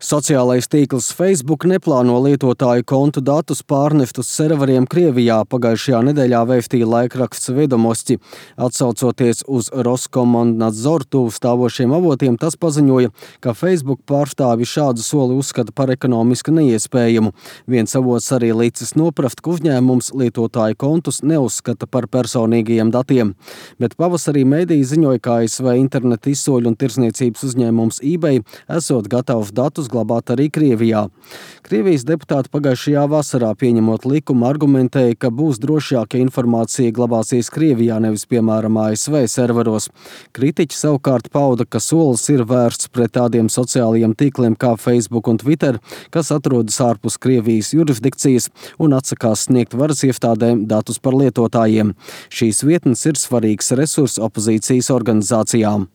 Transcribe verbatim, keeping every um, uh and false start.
Sociālais tīkls Facebook neplāno lietotāju kontu datus pārnest uz serveriem Krievijā, pagājušajā nedēļā vēstīja laikraksts Vedomosti. Atsaucoties uz Roskomnadzor tuvu stāvošiem avotiem, tas paziņoja, ka Facebook pārstāvi šādu soli uzskata par ekonomiski neiespējamu. Viens avots arī licis noprast, ka uzņēmums lietotāju kontus neuzskata par personīgajiem datiem. Bet pavasarī mediji ziņoja, ka A S V interneta izsoļu un tirsniecības uzņēmums eBay esot gatavs datus glabāt arī Krievijā. Krievijas deputāti pagājušajā vasarā pieņemot likumu argumentēja, ka būs drošāk, ja informācija glabāsies Krievijā, nevis piemēram A S V serveros. Kritiķi savukārt pauda, ka solis ir vērsts pret tādiem sociālajiem tīkliem kā Facebook un Twitter, kas atrodas ārpus Krievijas jurisdikcijas un atsakās sniegt varas iestādēm datus par lietotājiem. Šīs vietnes ir svarīgs resurs opozīcijas organizācijām.